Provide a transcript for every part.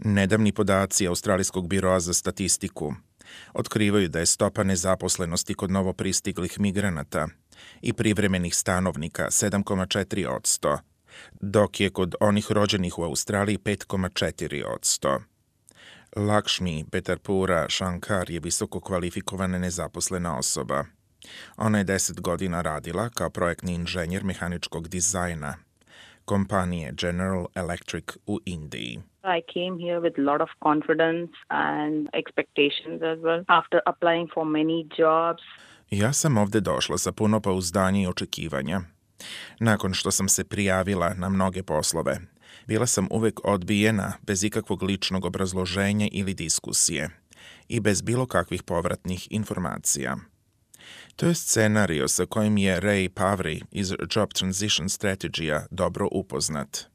Nedavni podaci Australijskog biroa za statistiku otkrivaju da je stopa nezaposlenosti kod novopristiglih migranata i privremenih stanovnika 7,4%, dok je kod onih rođenih u Australiji 5,4%. Lakshmi Petarpura Shankar je visoko kvalifikovana nezaposlena osoba. Ona je 10 godina radila kao projektni inženjer mehaničkog dizajna kompanije General Electric u Indiji. I came here with a lot of confidence and expectations as well. After applying for many jobs. Ja sam ovde došla sa puno pouzdanja i očekivanja. Nakon što sam se prijavila na mnoge poslove, bila sam uvek odbijena bez ikakvog ličnog obrazloženja ili diskusije i bez bilo kakvih povratnih informacija. To je scenario sa kojim je Ray Pavri iz Job Transition Strategy-a dobro upoznat.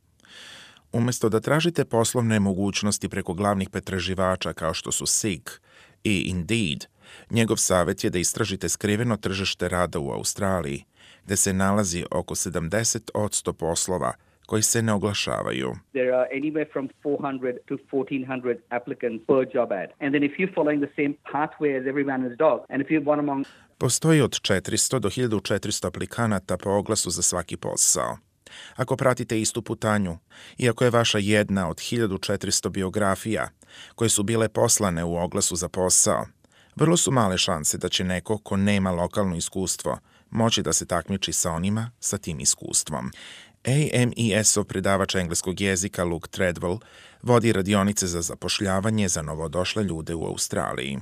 Umesto da tražite poslovne mogućnosti preko glavnih pretraživača kao što su Seek i Indeed, njegov savjet je da istražite skriveno tržište rada u Australiji, gde se nalazi oko 70% poslova koji se ne oglašavaju. There are anywhere from 400 to 1400 applicants per job ad. And then if you're following the same pathway as every man and his dog, and if you're one among... Postoji od 400 do 1400 aplikanata po oglasu za svaki posao. Ako pratite istu putanju, iako je vaša jedna od 1400 biografija koje su bile poslane u oglasu za posao, vrlo su male šanse da će neko ko nema lokalno iskustvo moći da se takmiči sa onima sa tim iskustvom. AMES-ov predavač engleskog jezika Luke Treadwell vodi radionice za zapošljavanje za novodošle ljude u Australiji.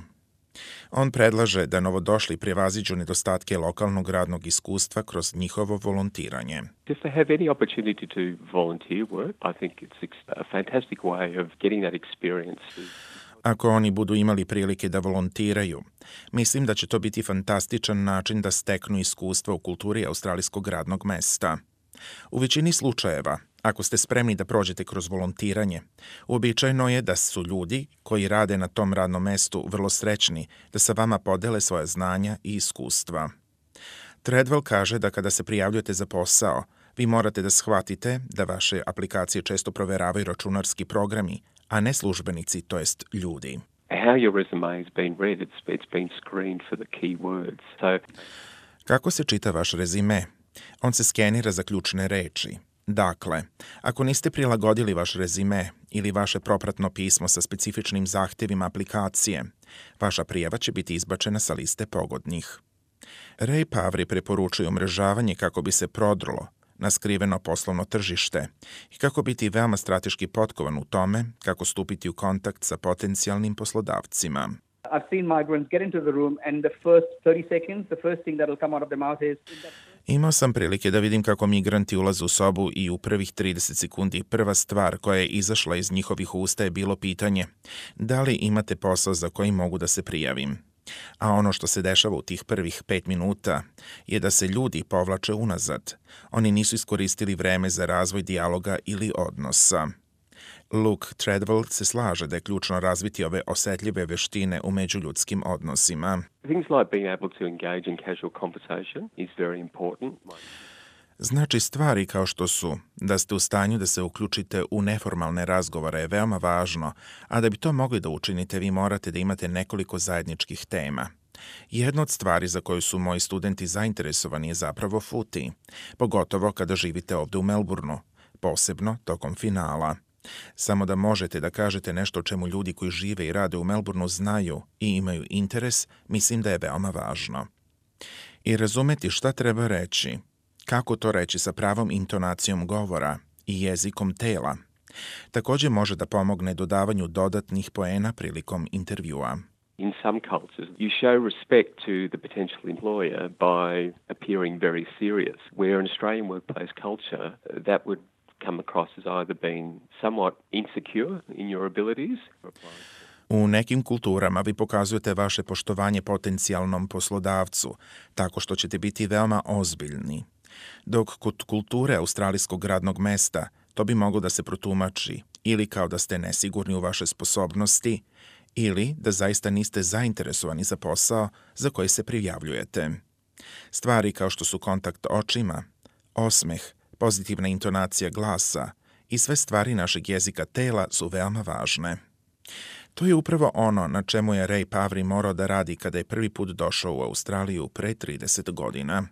On predlaže da novodošli prevaziđu nedostatke lokalnog radnog iskustva kroz njihovo volontiranje. If they have any opportunity to volunteer work, I think it's a fantastic way of getting that experience. Ako oni budu imali prilike da volontiraju, mislim da će to biti fantastičan način da steknu iskustva u kulturi australijskog radnog mesta. U većini slučajeva, ako ste spremni da prođete kroz volontiranje, uobičajeno je da su ljudi koji rade na tom radnom mestu vrlo srećni da sa vama podele svoje znanja i iskustva. Treadwell kaže da kada se prijavljujete za posao, vi morate da shvatite da vaše aplikacije često proveravaju računarski programi, a ne službenici, to jest ljudi. How your resume has been read, it's been screened for the key words. Kako se čita vaš rezime? On se skenira za ključne reči. Dakle, ako niste prilagodili vaš rezime ili vaše propratno pismo sa specifičnim zahtjevima aplikacije, vaša prijava će biti izbačena sa liste pogodnih. Ray Pavri preporučuje umrežavanje kako bi se prodrlo na skriveno poslovno tržište i kako biti veoma strateški potkovan u tome kako stupiti u kontakt sa potencijalnim poslodavcima. I've seen migrants get into the room and the first 30 seconds, the first thing that will come out of their mouth is... Imao sam prilike da vidim kako migranti ulaze u sobu i u prvih 30 sekundi prva stvar koja je izašla iz njihovih usta je bilo pitanje da li imate posao za koji mogu da se prijavim. A ono što se dešava u tih prvih 5 minuta je da se ljudi povlače unazad. Oni nisu iskoristili vreme za razvoj dijaloga ili odnosa. Luke Treadwell se slaže da je ključno razviti ove osetljive veštine u međuljudskim odnosima. Things like being able to engage in casual conversation is very important. Znači, stvari kao što su da ste u stanju da se uključite u neformalne razgovore je veoma važno, a da bi to mogli da učinite, vi morate da imate nekoliko zajedničkih tema. Jedna od stvari za koju su moji studenti zainteresovani je zapravo footy, pogotovo kada živite ovde u Melbourneu, posebno tokom finala. Samo da možete da kažete nešto o čemu ljudi koji žive i rade u Melbourneu znaju i imaju interes, mislim da je veoma važno. I razumeti šta treba reći, kako to reći sa pravom intonacijom govora i jezikom tela, također može da pomogne dodavanju dodatnih poena prilikom intervjua. In some cultures, you show respect to the potential employer by appearing very serious, where in Australian workplace culture, that would come across as either being somewhat insecure in your abilities. U nekim kulturama vi pokazujete vaše poštovanje potencijalnom poslodavcu, tako što ćete biti veoma ozbiljni. Dok kod kulture australijskog radnog mesta to bi moglo da se protumači ili kao da ste nesigurni u vaše sposobnosti ili da zaista niste zainteresovani za posao za koji se prijavljujete. Stvari kao što su kontakt očima, osmeh, pozitivna intonacija glasa i sve stvari našeg jezika tela su veoma važne. To je upravo ono na čemu je Ray Pavri morao da radi kada je prvi put došao u Australiju pre 30 godina.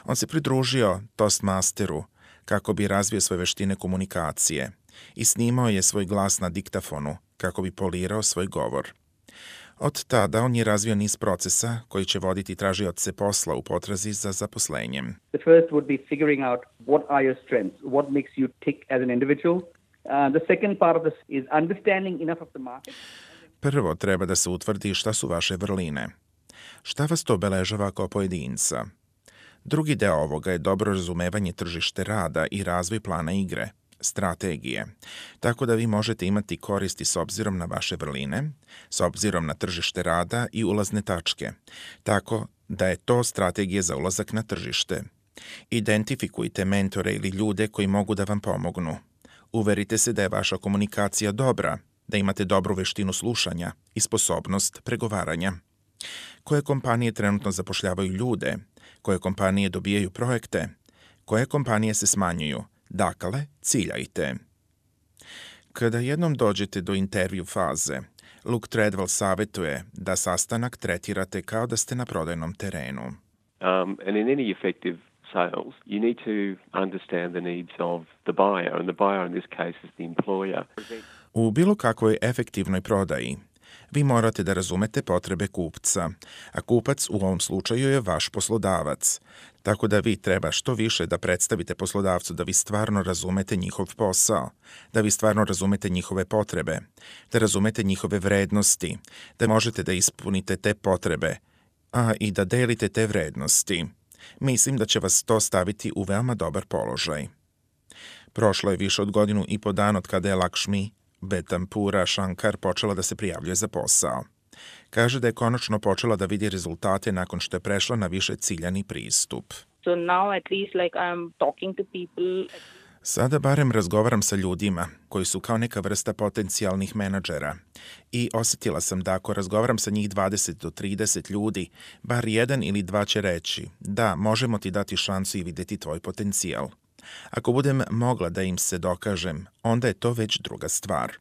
On se pridružio Toastmasteru kako bi razvio svoje veštine komunikacije i snimao je svoj glas na diktafonu kako bi polirao svoj govor. Od tada on je razvio niz procesa koji će voditi tražioce posla u potrazi za zaposlenjem. The first would be figuring out what are your strengths, what makes you tick as an individual. The second part of this is understanding enough of the market. Prvo treba da se utvrdi šta su vaše vrline. Šta vas to obeležava kao pojedinca? Drugi deo ovoga je dobro razumevanje tržište rada i razvoj plana igre, strategije, tako da vi možete imati koristi s obzirom na vaše vrline, s obzirom na tržište rada i ulazne tačke, tako da je to strategija za ulazak na tržište. Identifikujte mentore ili ljude koji mogu da vam pomognu. Uverite se da je vaša komunikacija dobra, da imate dobru veštinu slušanja i sposobnost pregovaranja. Koje kompanije trenutno zapošljavaju ljude, koje kompanije dobijaju projekte, koje kompanije se smanjuju, dakle, ciljajte. Kada jednom dođete do intervju faze, Luke Treadwell savjetuje da sastanak tretirate kao da ste na prodajnom terenu. And in any effective sales, you need to understand the needs of the buyer, and the buyer in this case is the employer. U bilo kakvoj efektivnoj prodaji, vi morate da razumete potrebe kupca, a kupac u ovom slučaju je vaš poslodavac, tako da vi treba što više da predstavite poslodavcu da vi stvarno razumete njihov posao, da vi stvarno razumete njihove potrebe, da razumete njihove vrednosti, da možete da ispunite te potrebe, a i da delite te vrednosti. Mislim da će vas to staviti u veoma dobar položaj. Prošlo je više od 1.5 godina od kada je Lakshmi Betampura Shankar počela da se prijavljuje za posao. Kaže da je konačno počela da vidi rezultate nakon što je prešla na više ciljani pristup. So now at least like I'm talking to people. Sada barem razgovaram sa ljudima koji su kao neka vrsta potencijalnih menadžera i osjetila sam da ako razgovaram sa njih 20 do 30 ljudi, bar 1 ili 2 će reći da možemo ti dati šansu i vidjeti tvoj potencijal. Ako budem mogla da im se dokažem, onda je to već druga stvar.